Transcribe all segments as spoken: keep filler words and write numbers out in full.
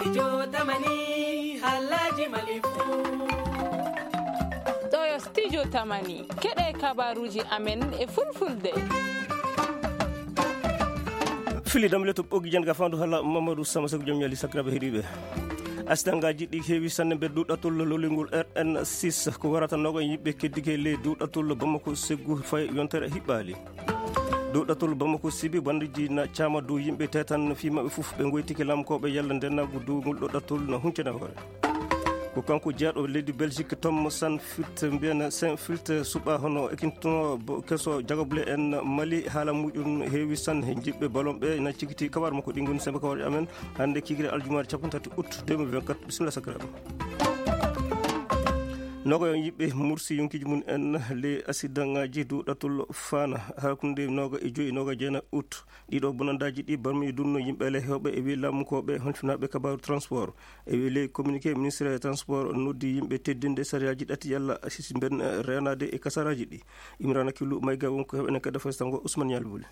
Studio Tamani, halaji Mali fu. Ɗo yo Studio Tamani, keɗe kabaruji amen e fulfulde. Fili dam leto ɓoggi jan ga fandu hala Mamadou Sama Sekou Jom Yali sakiraɓe heɗiɓe. Asidangaji ɗi heewi sanne ɓe duɗatol lolingol R N six ko warata nogo yimɓe keddike ley duɗatol Bamako Seggu fay yontere hiɓɓali. Duɗatol Bamako Sibi bandiji na cama dow yimɓe tetan fi maɓɓe fof ɓe goytike lamkoɓe yalla ndenagu dow ngol ɗoɗatol na huncana hoore. Ko kanko jeeɗo leydi Belgique Tom Sanfilt mbiyan Saint Filt suɓa hono ekintono keso jagable en Mali haala muƴum heewi san he jiɓɓe balon ɓe na cigiti kabar makko ɗi ngoni sembe kawar amen hande kigire aljumaare capanɗe tati août deux mille vingt-quatre. Bisimilla sakiraɓe. Noga yon yimɓe mursi yonkiji mum en le asidangaji duɗatol fana hakkunde noga e joyi noga jeena août. Ɗiɗo bonandaji ɗi barmi dunno yimɓe le hewɓe e wi lamkoɓe honfinaɓe kabaru transport e wi ley communiqué ministre transport noddi yimɓe teddinde sariyaji ɗati yalla sisi ben renade e kasaraji ɗi. Imrana Killu mayga wonko heɓene kadda faysango Ousmane Yalbule.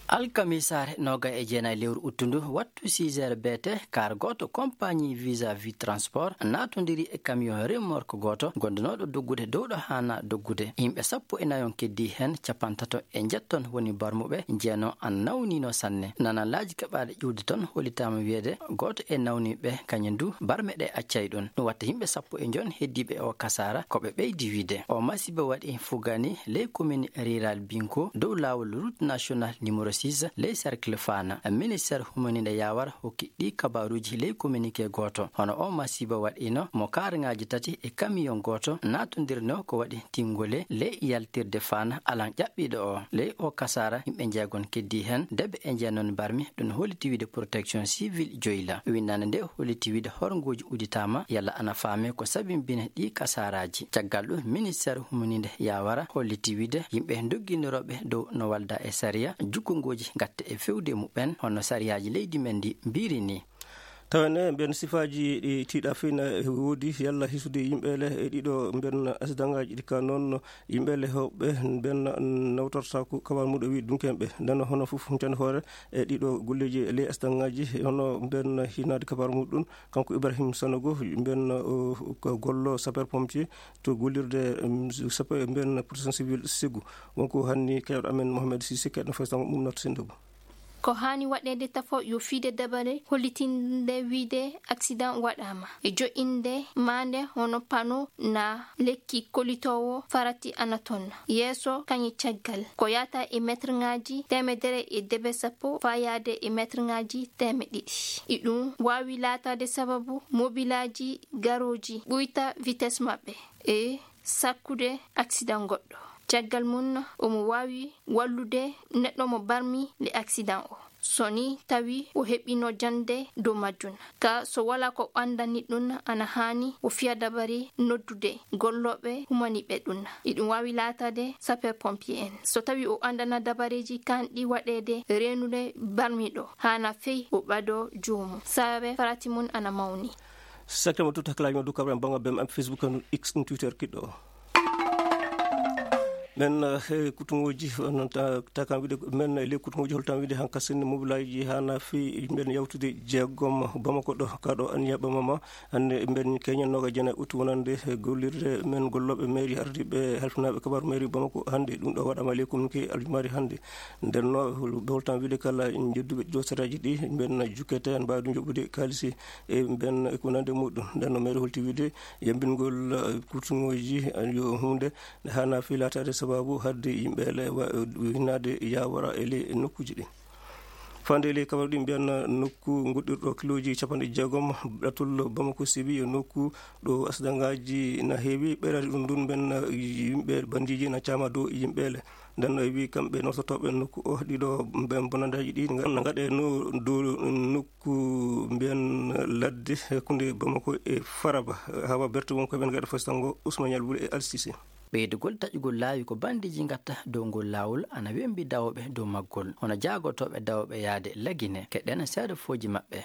Alkamisaare noga e jeenayi lewru uttundu wattu six heures B T, kar gooto compagnie Visa Vie Transport naatondiri e camion remorque gooto gondunooɗo doggude dow ɗo haana doggude. Yimɓe sappo e nayon keddi heen, capantato e njetton woni barmuɓe, jeeno an nawnino sanne. Nana laaji keɓaaɗe ƴuwde toon hollitaama wiyeede gooto e nawniiɓe kañum du barme ɗe accay ɗum. Ɗum watta yimɓe sappo e njon heddiiɓe o kasaara ko ɓe ɓeydi wiide. O masiba waɗi fugani ley commune rural Binko dow laawol route nationale numéro six ley cercle Fana. Ministère humaniinde yaawara hokki ɗi kabaaruuji ley communiqué gooto. Hono o masiba waɗino mo kaaraŋaaji tati e camion gooto naatondirno ko waɗi tingole ley yaltirde Fana alan ƴaɓɓiiɗo o. Ley o kasaara yimɓe njeegon keddi heen, debbe e jeenon barmi, ɗum holliti wiide protection civile joyla. Winndande nde holliti wiide horngooji udditaama yalla ana faame ko sabimbina ɗi kasaaraaji. Caggal ɗum ministère humaniinde yaawara holliti wiide yimɓe doggindirooɓe dow no walda e sariya, jukkungooji gatte e fewde muɓɓen hono sariyaaji leydi men ndi mbiri ni. Tawen e mbiyen sifaaji ɗi tiiɗa fii na woodi yalla hisude yimɓe le e ɗiɗo mbiyen asidangaji ɗi ka noon yimɓe le hewɓe mbiyen nawtortaku kabar muɗo wi dunkenɓe ndeno hono fof huncande hoore e ɗiɗo golleji e ley asidangaji hono mbiyen hinaade kabar muɗum kanko Ibrahim Sanogo mbiyen ko gollo sapeur pompier to gollirde sapeur mbiyen protection civile Segu wonko hanni kewɗo amen Mohamed Sisi keɗno faysango mum noto sendogo. Ko haani waɗeede tafo yo fiide dabare hollitinde wiide accident waɗaama e joƴƴinde maande hono pano na lekki kolitoowo farati ana tonna yeeso kañe caggal ko yahata e metrŋaaji teemedere e debe sappo fayaade e metrŋaaji teeme ɗiɗi. Iɗum waawi laataade sababu mobilaaji garooji ɓuyta vitesse maɓɓe e sakkude accident goɗɗo. Caggal mum omo waawi wallude neɗɗo mo barmi le accident o so ni tawi o heɓino jannde dow majjum. Ka so wala ko ɓandani ɗum ana haani o fiya dabari noddude gollooɓe humaniɓe ɗum. Iɗum waawi laataade sapeur pompier en so tawi o andana dabareji kanɗi waɗeede reenude barmiɗo haana fey o ɓado joomum sababe farati mum ana mawni. Sakkitama tout hakkilaaji ma dow kabaram banngal bem am Facebook no X no Twitter kiɗɗo o. Men eh, kutuŋooji noon takam wiide men ley kutuŋooji holtam wiide han kasin mobilaaji haana fi mben yawtude jeegom bamako ɗo kaɗo aniya ɓamama hannde mben keñannooga jena utu wonande gollirde men gollooɓe mairie ardiiɓe halfinaaɓe kabaru mairie bamako hannde ɗum ɗo waɗama ley communiqué aljumaari hannde. Ndenno ɓe holtam wiide kala jedduɓe ɗiɗo saraji ɗi mben jukkete en mbaawi ɗum joɓɓude kaalisi e mben e ko nande muɗum ndenno mairie holti wiide yambingol kutuŋooji yo hunde nde haana fi laataade sababu hadde yimɓe le hinnaade yawara e ley nokkuuji ɗi. Fande ley kabaru ɗi mbiyanna nokku goɗɗirɗo kilooji capanɗe jeegom ɗatul bamako sibi yo nokku ɗo asidangaji na heewi ɓeyrade ɗum ndun mbiyanna yimɓe bandiji na caama dow yimɓe le. Ndenno e wi kamɓe nototooɓe nokku o ɗiɗo mbiyan bonandaji ɗi na gaɗe no dow nokku mbiyan ladde hakkunde bamako e faraba. Hawa berte won koɓen gaɗa fastango ousmane yalbule e alsise. Ɓeydugol taƴugol laawi ko banndiji ngatta dow ngol laawol ana wembi dawooɓe dow maggol hono jaagotooɓe dawooɓe yahde lagine keɗen seeɗa fooji maɓɓe.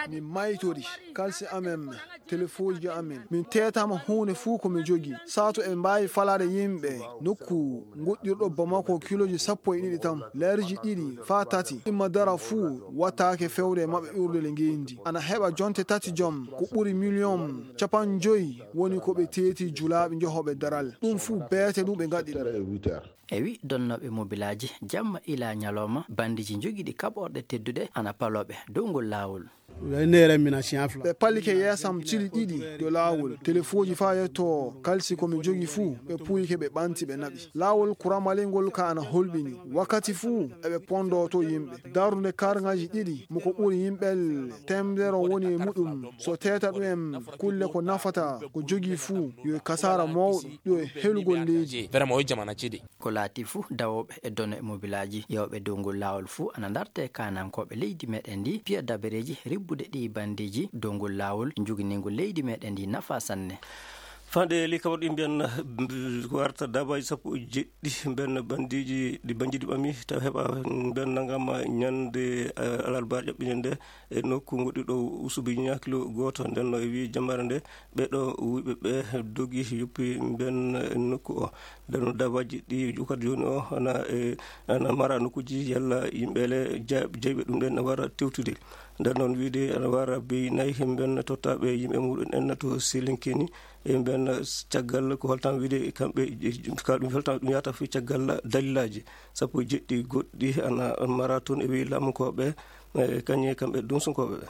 Min maytori kalsi amen, telefooji amen. Min teetama huunde fuu ko mi jogii. Sato en mbaawi falaade yimɓe nokku nguɗɗirɗo Bamako kilooji sappo e ɗiɗi tan, leerji ɗiɗi faa tati. Imma dara fuu wattaake fewde e maɓɓe urde le ngeendi. Ana heɓa jonte tati jom, ko ɓuri miliyon capanɗe joyi woni ko ɓe teeti julaaɓe jehooɓe daral. Ɗum fuu beete ɗum ɓe ngaɗi ɗum. E wi donnooɓe mobilaaji, jamma ila ñalawma, bandiiji njogiiɗi kaɓorɗe tedduɗe ana palooɓe dow ngol laawol. Ɓe pallike yeesam cili ɗiɗi dow laawol. Telefooji faa yetto kalsi ko mi jogii fuu, ɓe puuyike, ɓe ɓanti, ɓe naɓi. Laawol kuramalingol ka ana holɓini. Wakkati fuu eɓe pondooto yimɓe. Darnde karŋaaji ɗiɗi, mo ko ɓuri yimɓe teemedere woni e muɗum. So teeta ɗum en kulle ko nafata, ko jogii fuu, yo e kasaara mawɗo, yo e helugol leydi. Vraiment, o jamana cidi. Ko laati fuu, dawooɓe e done mobilaaji, yewɓe dow ngol laawol fuu ana ndarte kaanankooɓe leydi meɗen ndi, piya dabareeji ribbude ɗi bandiiji dow ngol laawol, njuginingol leydi meɗen ndi nafa sanne. Fande li kawar ɗi mbiyan, mm, warta dabaji sappo e jeɗɗi mbiyan bandiiji ɗi bandiiji ɓami taw heɓa mbiyan nangama ñande, eh, alarba ƴaɓɓine nde e nokku goɗɗi ɗo usubi ñakilo gooto. Nden no e wi jamare nde ɓe ɗo wuyɓe ɓe dogi yoppi mbiyan nokku o. Nden no dabaji ɗi jukata jooni o ana, eh, ana mara nokkuji yalla yimɓe le ja-, jeyɓe ɗum ɗen wara tewtude. Nden noon wiide ana wara bey nayi mbiyan tottaɓe yimɓe muɗum en to Selinkeni. E mbiyan caggal ko holtan wiide kamɓe, ka ɗum holtan ɗum yahata fii caggal dalilaaji sappo e jeɗɗi goɗɗi ana mara toon e wi laamunkooɓe, e kañe kamɓe dunsunkooɓe ɓe.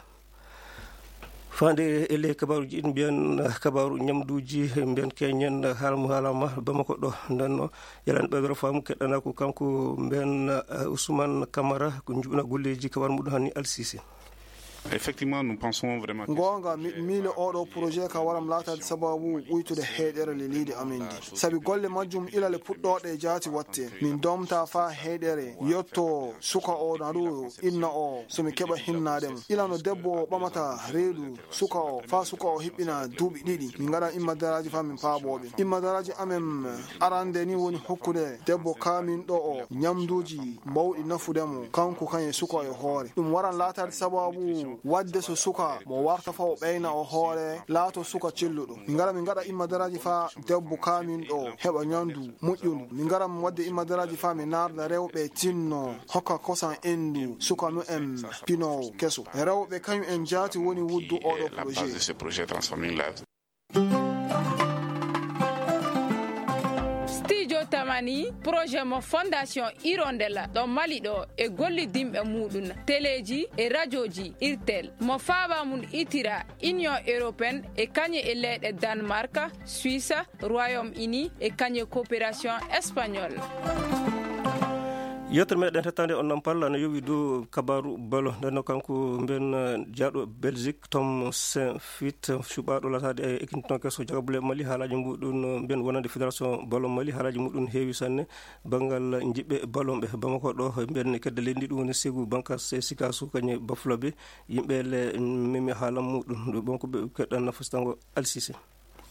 Faande e ley kabaaruuji ɗin mbiyan kabaaru ñamduuji mbiyan keñen haala mo haalama Bamako ɗo. Nden no yalani ɓeydoro faamu keɗɗana ko kanko mbiyan, eh, Ousmane Camara ko njuɓina golleeji kabaaru muɗum hanni Alsisi. Effectivement, nous pensons vraiment que Goonga, mi miile oɗo projet ka waram laataade sababu ɓuytude heyɗere le leydi amen ndi. Sabi golle majjum ila le puɗɗooɗe jaati watte. Min domta faa heyɗere yotto suka o na ɗo inna o so mi keɓa hinnaade mo. Ila no debbo o ɓamata reedu suka o faa suka o hiɓɓina duuɓi ɗiɗi. Min ngaɗa imma daraaji faa min paabooɓe. Imma daraaji amen arande ni woni hokkude debbo kaaminɗo o ñamduuji mbawɗi nafude mo, kanko kañum e suka e hoore. Ɗum waran laataade sababu waɗde so suka mo warta fa o ɓeyna o hoore, laato suka celluɗo. Min ngara min ngaɗa immadaraaji faa debbo kaaminɗo heɓa ñaamdu moƴƴundu. Min ngara min waɗde immadaraaji faa mi naarda rewɓe tinno hokka kosan enndu suka mumen pinoowo keso. Rewɓe kañum en jaati woni wuddu oɗo projet. Studio Tamani, projet mo Fondation Hirondella ɗo Mali ɗo e gollidinɓe muɗum, teleeji e rajooji Irtel, mo faaba mum itira Union Européenne e kañe e leyɗe Danemark, Suisse, Royaume-Uni e kañe coopération espagnole. Yewtere meɗen hettande on noon palla no yowi dow kabaru balo. Nden no kanko mben, eh, jaaɗo Belgique, Tom Saint Fit, cuɓaaɗo laataade e ekintinooke so jagabule Mali, haalaaji muɗum mbiyan wonande Fédération Ballon Mali, haalaaji muɗum heewi sanne. Banngal njiɓɓe ballon ɓe Bamako ɗo, mbiyan kedde leydi ndi, ɗum woni Ségou, Bankasse, Sikassou, kañum e Bafulabe. Yimɓe le memi haala muɗum, ɗo ɓon ko ɓe keɗɗan nafasitango Alsise.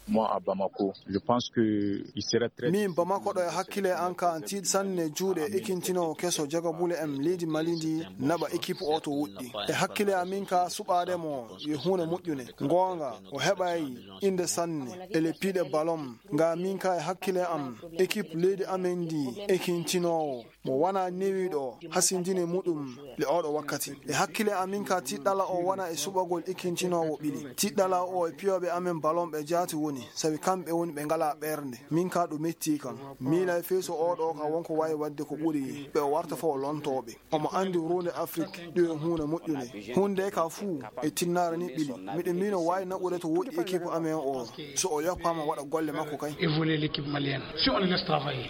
Moi, à Bamako, je pense que il serait très Min Bamako ɗo e hakkille an ka an tiiɗ sanne juuɗe ekintinoowo keso jagabule en leydi Mali ndi naɓa équipe o to woɗɗi. E hakkille amin ka suɓaade mo yo huunde moƴƴune. Goonga, o heɓay innde sanne e le piiɗe ballon. Nga min ka e hakkille am, équipe leydi amen ndi ekintinoowo mo wona newiiɗo hasindine muɗum le oɗo wakkati. E hakkille amin ka tiɗɗala o wona e suɓagol ekintinoowo ɓili. Tiɗɗala o e piyooɓe amen ballon ɓe jaati woni, sabi kamɓe woni ɓe ngala ɓernde. Min ka ɗum metti kam. Miila e fii so oɗo ka wonko waawi waɗde ko ɓuri ɓe o warta fof o lontooɓe. Omo anndi ruunde Afrik, ɗum e huunde moƴƴunde. Huunde ka fuu e tinnaare ni ɓili. Miɗo miino waawi naɓude to woɗɗi équipe amen o, so o yoppaama waɗa golle makko kay. Et voler l'équipe malienne, si on le laisse travailler.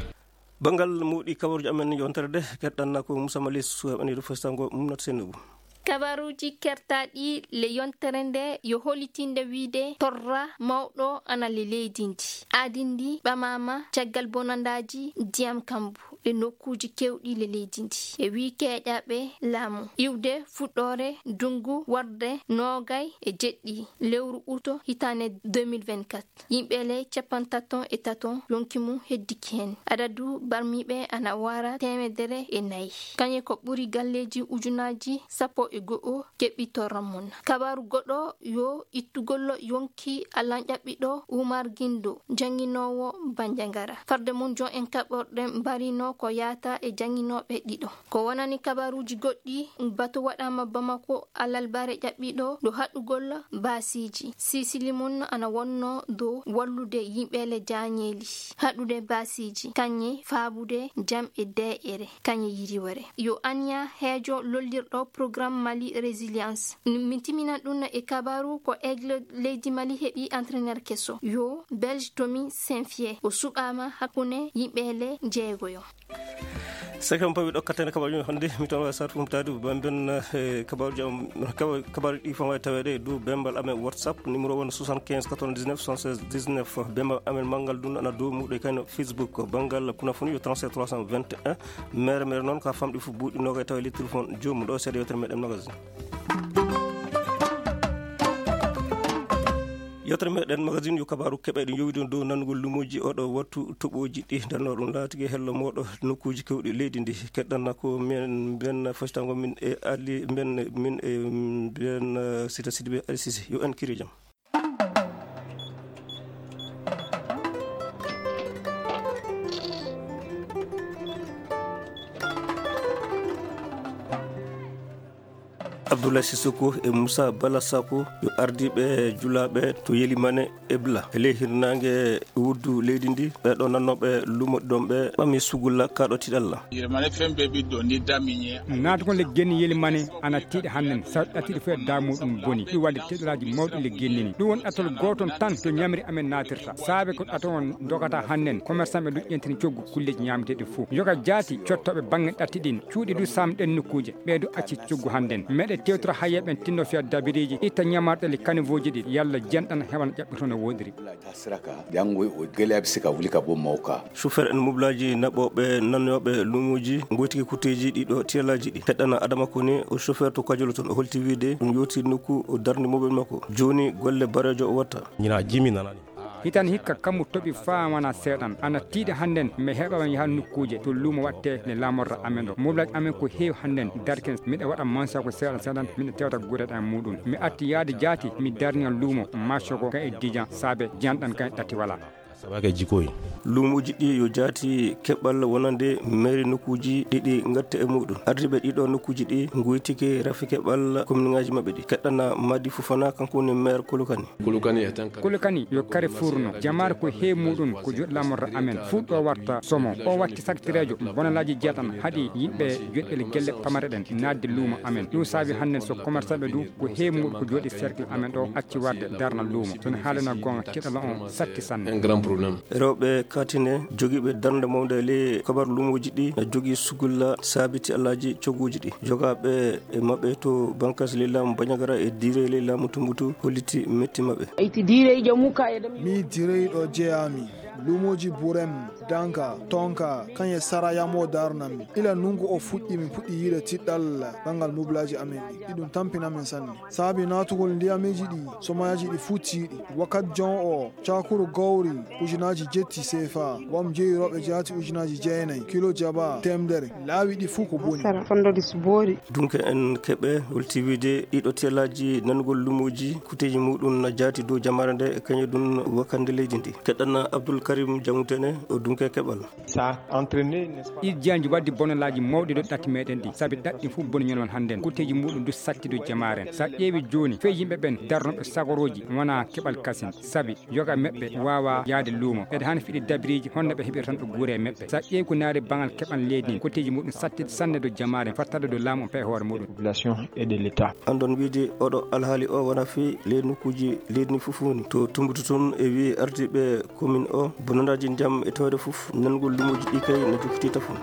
Banngal muɗi kabaruuji amen yontere de, keɗɗanna ko Moussa Mali Sow heɓaniiɗo fasitango Mumnat Seynabou. Kabaruuji kertaaɗi le yontere nde yo hollitinde wiide torra mawɗo ana le leydi ndi. Aadi ndi ɓamaama caggal bonandaaji ndiyam kambu e nokkuuji keewɗi le leydi ndi. E wii keeƴaaɓe laamu iwde fuɗɗoore ndunngu warde noogay e jeɗɗi lewru uto hitaande deux mille vingt-quatre. Yimɓe le cappantato e tato yonki mum heddiki heen. Adadu barmiiɓe ana wara teemedere e nayi. Kañe ko ɓuri galleeji ujunaaji sappo e go'o keɓɓitorra mum. Kabaaru goɗɗo yo ittugol yonki Alan ƴaɓɓiɗo Umar Gindo, jannginoowo Banjagara. Farde mum, jon en kaɓorɗe mbarino ko yaata e jannginooɓe ɗiɗo. Ko wonani kabaaruuji goɗɗi, batu waɗaama Bamako alarba ɓaare ƴaɓɓiɗo ɗo haɗugol baasiiji. Sisili mum ana wonno dow wallude yimɓe le jaañeeli, haɗude baasiiji, kañe faabude jam e deeƴere, kañe yiriwere. Yo Anya Heejo lollirɗo programme Mali Résilience. Min timinan ɗum e kabaaru ko Aigle leydi Mali heɓi entraîneur keso. Yo Belge Tommy Saint-Fier o suɓaama hakkunde yimɓe le jeegoyo. Saka on pawi ɗokkatene kabaruji hannde, mi tawa sar fum tadu bamben, eh, kabaruji am, kaba-, kabaruji ɗi fama taweɗe dow bembal amen WhatsApp, numéro won soixante quinze quatre-vingt-dix-neuf soixante-seize dix-neuf. Bembal amen mangal dun ana dow muɗo kano Facebook, bangal kuna funi yo trente-sept trois cent vingt et un. Mere mere noon ka famɗi fu buuɗi noga tawa le téléphone jomu ɗo seeɗa yewtere meɗen magazine. Yewtere meɗen magazine yo kabaaru keɓe ɗo yowiti dow nanugol lumoji oɗo wattu toɓoji ɗi darno ɗum laatigi hello moɗo nokkuji kewɗi leydi ndi. Keɗɗanna ko men mben fasitango min e Ali mben min e mben, eh, Sita Sidibé Ali Sisi. Yo en kiri jam. Abdoulaye Sissoko e Moussa Bala Sako yo ardiiɓe julaaɓe to Yelimane Ebla e ley hirnaange wuddu leydi ndi. Ɓee ɗoo nannooɓe lumo ɗon ɓe ɓami sugulla kaaɗo tiɗalla. Yelimane fen ɓe ɓiɗɗo ni damiñe. Naatugol le genni Yelimane ana tiiɗi hannden, saw ɗattiɗi fof e daamu ɗum boni. Ɗum waɗde teɗalaaji mawɗi le genni ni. Ɗum woni ɗatal gooton tan to ñamri amen naatirta. Saabe ko ɗato on dogata hannden, commerçant ɓe ɗum ƴentini coggu kulleeji ñaameteeɗi fof. Yoga jaati cottooɓe baŋŋe ɗatti ɗin. Cuuɗi du saamɗen nokkuuje, ɓee du acci coggu hannden. Meɗe tewtora hayya ɓen tinno fiya dabiriiji, itta ñamarɗe le kanivooji ɗi, yalla jenɗan heɓan ƴaɓɓito no woɗiri. Siraka, janngo o gele abi sika wuli ka bon mawka. Chauffeur en mobilaaji naɓooɓe nannooɓe luumoji, ngoytiki kutteeji ɗiɗo tiyalaaji ɗi. Heɗɗana Adama Kone, o chauffeur to Kajolo toon, o holti wiide ɗum yowti nokku o darni mobil makko. Jooni golle bareejo o watta. Ñina jimi nanani. Hitan hikka kammu toɓi faa wana seeɗan. Ana tiiɗi hannden mi heɓa mi yaha nokkuuje to luumo watte ne laamorra amen ɗo. Mobilaaji amen ko heewi hannden darken miɗa waɗa mansa ko seeɗan seeɗan miɗa tewta gure ɗan muɗum. Mi atti yaade jaati mi darniyan luumo macco ko kan e dijan saabe janɗan kan e ɗatti wala. Sabake jikoyi. Luumoji ɗi yo jaati keɓal wonande mairie nokkuji ɗiɗi ngatta e muɗum. Ardiɓe ɗiɗo nokkuji ɗi ngoytike rafi keɓal commune ngaji maɓɓe ɗi. Keɗɗana Madi Fofana kanko woni maire Kolokani. Kolokani e tan kadi. Kolokani yo carrefour no. Jamaare ko heewi muɗum ko joɗɗo lamorɗo amen. Fuɗɗo warta somo. O watti saktireejo. Bonalaaji jeetan haɗi yimɓe joɗɗel gelle pamare ɗen naatde luumo amen. Ɗum saabi hannden so commerçant ɓe du ko heewi muɗum ko joɗi cercle amen ɗo acci warde darna luumo. Sono haalana goonga keɗala on satti sanne. Un grand problème. Rewɓe katine jogiiɓe darnde mawnde e ley kabar luumooji ɗi na jogii sugulla saabiti alaaji cogguuji ɗi. Jogaaɓe e maɓɓe to Bankas ley laamu Bañagara e Diire ley laamu Tumbutu holliti metti maɓɓe. Ayti Diire jamu ka e dam. Mi Diire ɗo jeyaami. Luumooji Burem, Danka, Tonka, kañe sara yamo darnami. Ila nungu o fuɗɗi mi puɗɗi yiide tiɗɗal ɓanngal moblaji amen ɗi. Iɗum tampinamin sanne. Saabi naatugol ndiyamiji ɗi, somoyaji ɗi fuu tiiɗi. Wakat jon o, cakuru gawri, ujunaaji jetti seefa, wam jeyi rewɓe jaati ujunaaji jeenayi, kilo jaba, temdere, laawi ɗi fuu ko boni. Sara fondo ɗi subori. Dunke en keɓe holti wiide ɗiɗo telaji nanugol lumoji, kuteji muɗum na jaati dow jamaare nde, e kañum ɗum wakande leydi ndi. Keɗɗana Abdoul Karim Jamutene, o dunke keɓal. Ça a entraîné, n'est-ce pas? Ɗi janji waddi bonolaaji mawɗi ɗo ɗatti meɗen ɗi, sabi ɗaɗɗi fof boni ñon on hannden. Kuteji muɗum du satti dow jamaaren. Sa ƴeewi jooni, fey yimɓe ɓen darnoɓe sagorooji wona keɓal kasin, sabi yoga meɓɓe waawa yaade luumo. Eɗe hani fiɗi dabiriji honno ɓe heɓirta tan ɗo guure meɓɓe. Sa ƴeewi ko naari bangal keɓal leydi ndin, kuteji muɗum satti sanne dow jamaaren, fattade dow laamu on pee hoore muɗum. Population et de l'État. Andon wiide oɗo alhaali o wona fii ley nokkuuji leydi ndi fof woni. To Tumbutu tun e wi'i ardiiɓe commune o, bonandaaji ndiyam e tawde fof, nangol lumoji ɗi kay no jokkitii tafon.